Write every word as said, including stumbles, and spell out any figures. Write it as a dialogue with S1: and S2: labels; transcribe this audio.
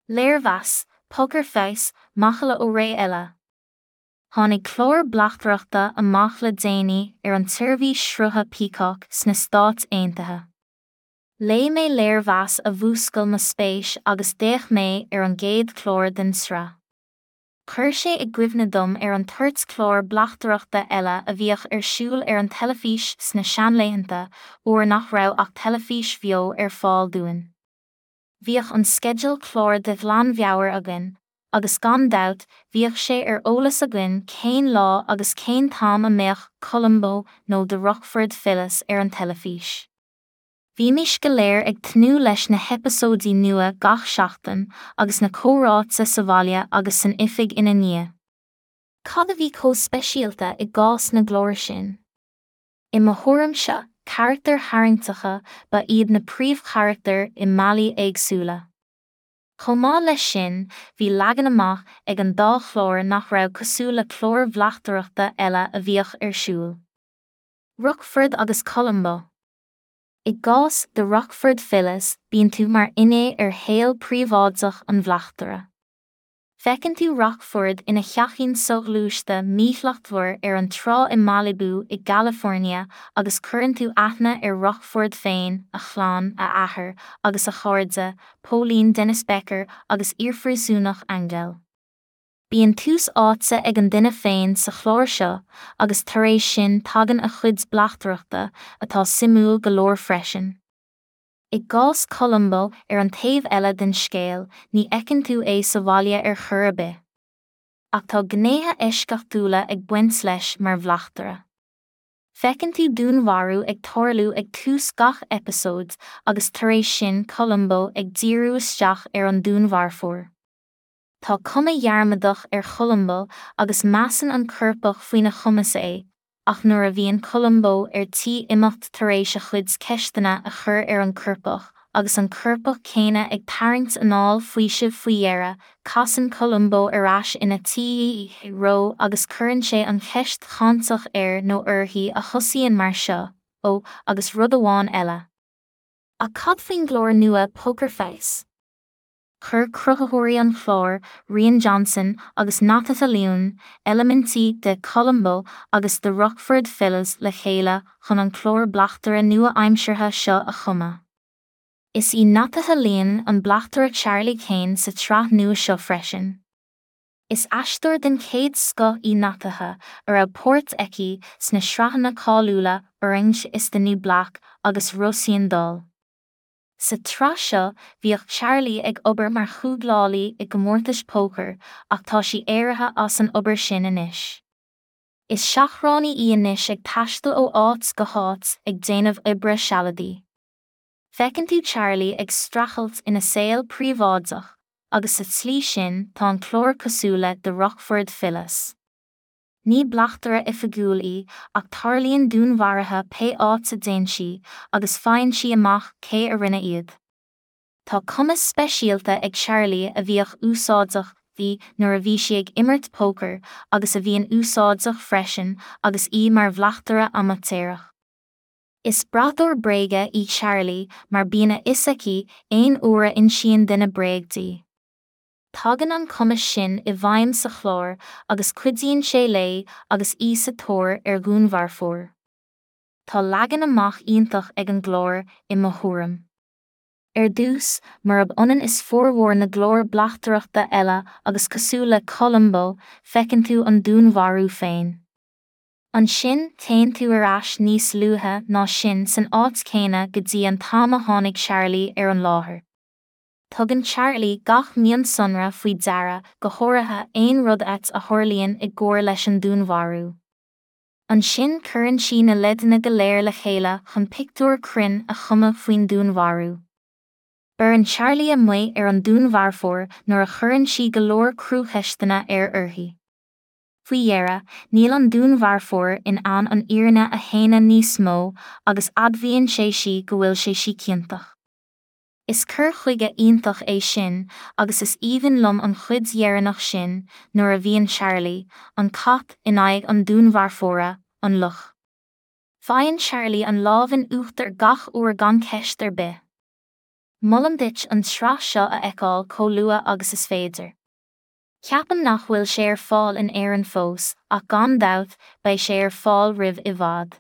S1: Léirmheas, Poker Face, macalla ó ré eile. Tháinig clár bleachtaireachta amach le déanaí ar an tseirbhís srutha Peacock sna Stáit Aontaithe. Léigh mé léirmheas a mhúscail mo spéis agus d'fhéach mé ar an gcéad chlár den tsraith. Chuir sé i gcuimhne dom ar an toirt clár bleachtaireachta eile a bhíodh ar siúl ar an teilifís sna seanlaethanta uair nach raibh ach teilifís bheo ar fáil dúinn. Bhíodh an sceideal clár de ghlanmheabhair againn, agus gan dabht bhíodh sé ar eolas againn cén lá agus cén t-am a mbeadh Columbo nó The Rockford Files ar an teilifís. Bhímis go léir ag tnúth leis na heipeasóidí nua gach seachtain agus na comhráite sa bhaile agus san oifig ina ndiaidh. Cad a bhí chomh speisialta i gcás na gclár sin? I mo thuairimse, carachtair tharraingteacha ba iad na príomhcharachtair i mbealaí éagsúla. Chomh maith leis sin, bhí leagan amach ag an dá chlár nach raibh cosúil le cláir bhleachtaireachta eile a bhíodh ar siúl. Rockford agus Columbo. I gcás The Rockford Files bíonn tú mar fhinné ar shaol príobháideach an bhleachtaire. Feiceann tú Rockford ina theachín soghluaiste míshlachtmhar ar an trá i Malibu i gCalifornia agus cuireann tú aithne ar Rockford féin, a chlann, a athair, agus a chairde, Póilín Dennis Becker agus iarphríosúnach Angel. Bíonn tús áite ag an duine féin sa chlár seo agus tar éis sin tagann a chuid bleachtaireachta, atá suimiúil go leor freisin. I gcás Columbo ar an taobh eile den scéal, ní fheiceann tú é sa bhaile ar chor ar bith. Ach tá gnéithe eisceachtúla ag baint leis mar bhleachtaire. Feiceann tú dúnmharú ag tarlú ag tús gach eipeasóid agus tar éis sin Columbo ag díriú isteach ar an dúnmharfóir. Tá cuma dhearmadach ar Cholumbo agus measann an coirpeach faoina chumas é, ach nuair a bhíonn Columbo ar tí imeacht tar éis a chuid ceisteanna a chur ar an gcoirpeach agus an coirpeach céanna ag tarraingt anáil faoisimh faoi dheireadh, casann Columbo ar ais ina threo agus cuireann sé an cheist cháinteach air nó uirthi a thosaíonn mar seo, ó, agus rud amháin eile. Ach cad faoin gclár nua Poker Face? Chuir cruthaitheoirí an chláir, Rian Johnson agus Natasha Lyonne, eilimintí de Columbo agus The Rockford Files le chéile chun an clár bleachtaire nua-aimseartha seo a chumadh. Is í Natasha Lyonne an bleachtaire Charlie Kane sa tsraith nua seo freisin. Is aisteoir den chéad scoth í Natasha a raibh páirt aici sna sraitheanna cáiliúla Orange is the New Black agus Russian Doll. Sa tsraith seo bhíodh Charlie ag obair mar chúglálaí i gcomórtais pócair ach tá sí éirithe as an obair sin anois. Is seachránaí í anois ag taisteal ó áit go háit ag déanamh oibre sealadaí. Feiceann tú Charlie ag streachailt ina saol príobháideach, agus sa tslí sin tá an clár cosúil le The Rockford Files. Ní bleachtaire oifigiúil í ach tarlaíonn dúnmharuithe pé áit a dtéann sí agus faigheann sí amach cé a rinne iad. Tá cumas speisialta ag Charlie a bhíodh úsáideach di nuair a bhí sí ag imirt pócair agus a bhíonn úsáideach freisin agus í mar bhleachtaire amaitéarach. Is braiteoir bréige í Charlie mar bíonn a fhios aici aon uair a insíonn duine bréag di. Tagann an cumas sin i bhfeidhm sa chlár agus cuidíonn sé léi agus í sa tóir ar dhúnmharfóir. Tá leagan amach iontach ag an gclár, i mo thuairim. Ar dtús, murab ionann is formhór na gclár bleachtaireachta eile agus cosúil le Columbo, feiceann tú an dúnmharú féin. Ansin téann tú ar ais níos luaithe ná sin san áit chéanna go dtí an t-am a tháinig Charlie ar an láthair. Tugann Charlie gach mionsonra faoi deara, go háirithe aon rud ait a tharlaíonn i gcomhar leis an dúnmharú. Ansin cuireann sí na leideanna go léir le chéile chun pictiúr cruinn a chumadh faoin dúnmharú. Beireann Charlie amuigh ar an dúnmharfóir nuair a chuireann sí go leor cruacheisteanna air uirthi. Faoi dheireadh, níl an dúnmharfóir in ann an fhírinne a shéanadh níos mó agus admhaíonn sé sí go bhfuil sé sí ciontach. Is cur chuige iontach é sin agus is aoibhinn liom an chuid dheireanach sin nuair a bhíonn Charlie, an cat, in aghaidh an dúnmharfóra, an luch. Faigheann Charlie an lámh in uachtar gach uair gan ceist ar bith. Molaim duit an tsraith seo a fheiceáil chomh luath agus is féidir. Ceapaim nach bhfuil sé ar fáil in Éirinn fós, ach gan dabht, beidh sé ar fáil roimh i bhfad.